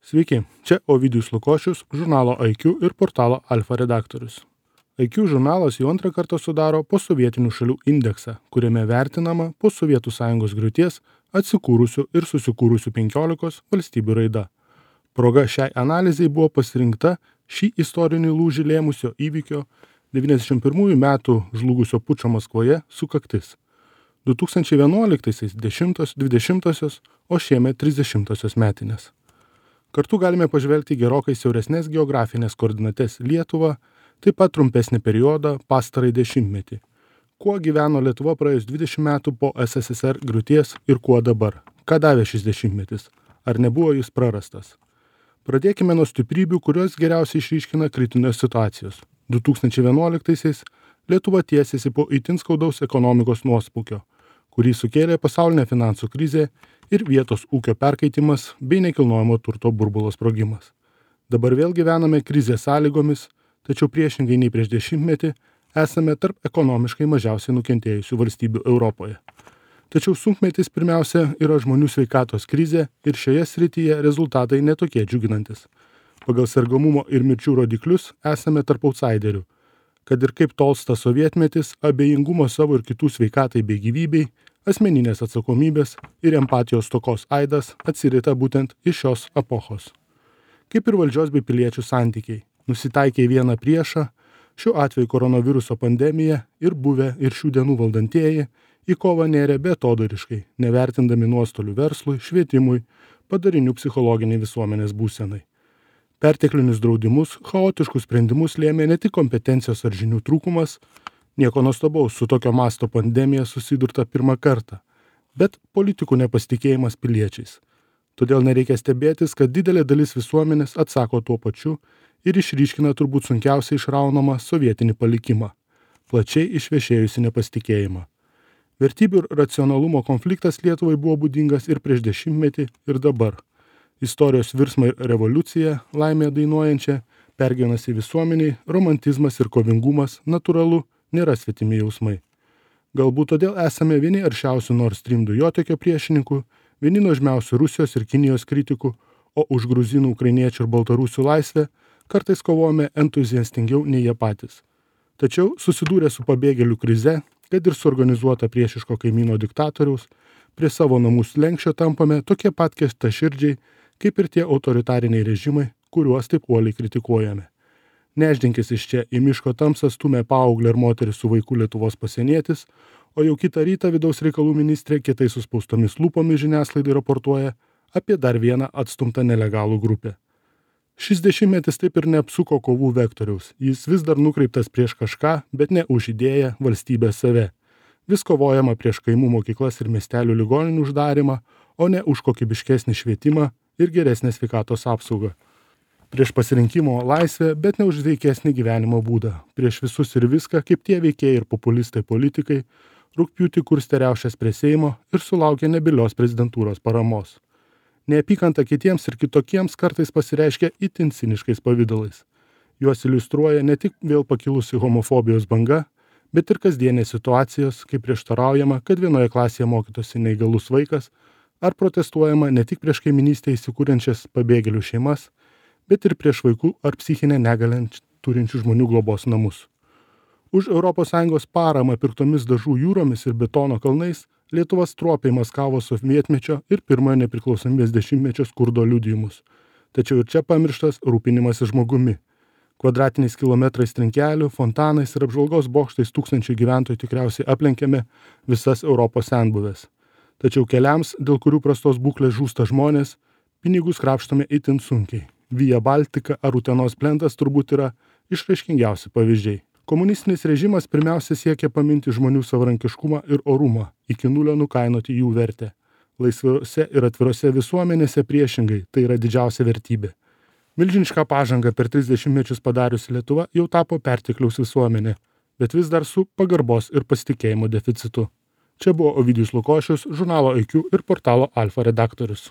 Sveiki, čia Ovidijus Lukošius, žurnalo IQ ir portalo Alfa redaktorius. IQ žurnalas jau antrą kartą sudaro posovietinių šalių indeksą, kuriame vertinama po Sovietų sąjungos griūties atsikūrusių ir susikūrusių 15 valstybių raida. Proga šiai analizai buvo pasirinkta šį istorinį lūžį lėmusio įvykio 91 metų žlugusio pučo Maskvoje sukaktis. 2011-aisiais 10-20, o šiemet 30 metinės. Kartu galime pažvelgti gerokai siauresnės geografinės koordinates Lietuvą, taip pat trumpesnį periodą pastarąjį dešimtmetį. Kuo gyveno Lietuva praėjus 20 metų po SSSR griūties ir kuo dabar? Ką davė šis dešimtmetis? Ar nebuvo jis prarastas? Pradėkime nuo stiprybių, kurios geriausiai išryškina kritinės situacijos. 2011-aisiais Lietuva tiesėsi po itin skaudaus ekonomikos nuosmukio, kurį sukėlė pasaulinė finansų krizė ir vietos ūkio perkaitimas bei nekilnojamo turto burbulo sprogimas. Dabar vėl gyvename krizės sąlygomis, tačiau priešingai nei prieš dešimtmetį esame tarp ekonomiškai mažiausiai nukentėjusių valstybių Europoje. Tačiau sunkmetis pirmiausia yra žmonių sveikatos krizė ir šioje srityje rezultatai netokie džiuginantis. Pagal sergamumo ir mirčių rodiklius esame tarp outsiderių. Kad ir kaip tolsta sovietmetis, abejingumo savo ir kitų sveikatai bei gyvybei, asmeninės atsakomybės ir empatijos stokos aidas atsirita būtent iš šios epochos. Kaip ir valdžios bei piliečių santykiai, nusitaikė į vieną priešą, šiuo atveju koronaviruso pandemija ir buvę ir šių dienų valdantieji į kovą nėrė beatodariškai, nevertindami nuostolių verslui, švietimui, padarinių psichologiniai visuomenės būsenai. Perteklinius draudimus, chaotiškus sprendimus lėmė ne tik kompetencijos ar žinių trūkumas, nieko nuostabaus, su tokio masto pandemija susidurta pirmą kartą, bet politikų nepasitikėjimas piliečiais. Todėl nereikia stebėtis, kad didelė dalis visuomenės atsako tuo pačiu ir išryškina turbūt sunkiausiai išraunamą sovietinį palikimą, plačiai išvešėjusi nepasitikėjimą. Vertybių ir racionalumo konfliktas Lietuvai buvo būdingas ir prieš dešimtmetį ir dabar. Istorijos virsmą ir revoliuciją, laimę dainuojančią, pergyvenasi visuomeniai, romantizmas ir kovingumas natūralu nėra svetimi jausmai. Galbūt todėl esame vieni aršiausių Nord Stream dujotiekio priešininkų, vieni nuožmiausių Rusijos ir Kinijos kritikų, o už gruzinų, ukrainiečių ir baltarusių laisvę kartais kovojame entuziastingiau nei jie patys. Tačiau susidūrę su pabėgėlių krize, kad ir suorganizuota priešiško kaimyno diktatoriaus, prie savo namų slenksčio tampame tokie pat kiestaširdžiai, kaip ir tie autoritariniai režimai, kuriuos taip uoliai kritikuojame. Neždinkis iš čia į miško tamsą stumė paauglę ir moterį su vaiku Lietuvos pasienietis, o jau kitą rytą vidaus reikalų ministrė kietai suspaustomis lūpomis žiniasklaidai raportuoja apie dar vieną atstumtą nelegalų grupę. Šis dešimtmetis taip ir neapsuko kovų vektoriaus, jis vis dar nukreiptas prieš kažką, bet ne už idėją valstybės save. Vis kovojama prieš kaimų mokyklas ir miestelių ligoninių uždarimą, o ne už kokybiškesnį švietimą ir geresnę sveikatos apsaugą. Prieš pasirinkimo laisvę, bet ne už veikesnį gyvenimo būdą. Prieš visus ir viską, kaip tie veikėjai ir populistai politikai, rugpjūtį kurstė riaušes prie Seimo ir sulaukė nebylios prezidentūros paramos. Neapykanta kitiems ir kitokiems kartais pasireiškia itin ciniškais pavidalais. Juos iliustruoja ne tik vėl pakilusi homofobijos banga, bet ir kasdienės situacijos, kai prieštaraujama, kad vienoje klasėje mokytųsi neįgalus vaikas, ar protestuojama ne tik prieš kaiminystėje įsikūrenčias pabėgėlių šeimas, bet ir prieš vaikų ar psichinę negalią turinčių žmonių globos namus. Už ES paramą pirktomis dažų jūromis ir betono kalnais Lietuva stropiai maskavo sovietmečio ir pirmojo nepriklausomybės dešimtmečio skurdo liudijimus. Tačiau ir čia pamirštas rūpinimasis žmogumi. Kvadratiniais kilometrais trinkelių, fontanais ir apžvalgos bokštais tūkstančių gyventojų tikriausiai aplenkėme visas Europos senbuvės. Tačiau keliams, dėl kurių prastos būklės žūsta žmonės, pinigus krapštome itin sunkiai. Via Baltica ar Utenos plentas turbūt yra išraiškingiausi pavyzdžiai. Komunistinis režimas pirmiausia siekia paminti žmonių savarankiškumą ir orumą, iki nulio nukainoti jų vertę. Laisvose ir atvirose visuomenėse priešingai, tai yra didžiausia vertybė. Milžinišką pažangą per 30 mečius padariusi Lietuva jau tapo pertekliaus visuomenė, bet vis dar su pagarbos ir pasitikėjimo deficitu. Čia buvo Ovidijus Lukošius, žurnalo IQ ir portalo Alfa redaktorius.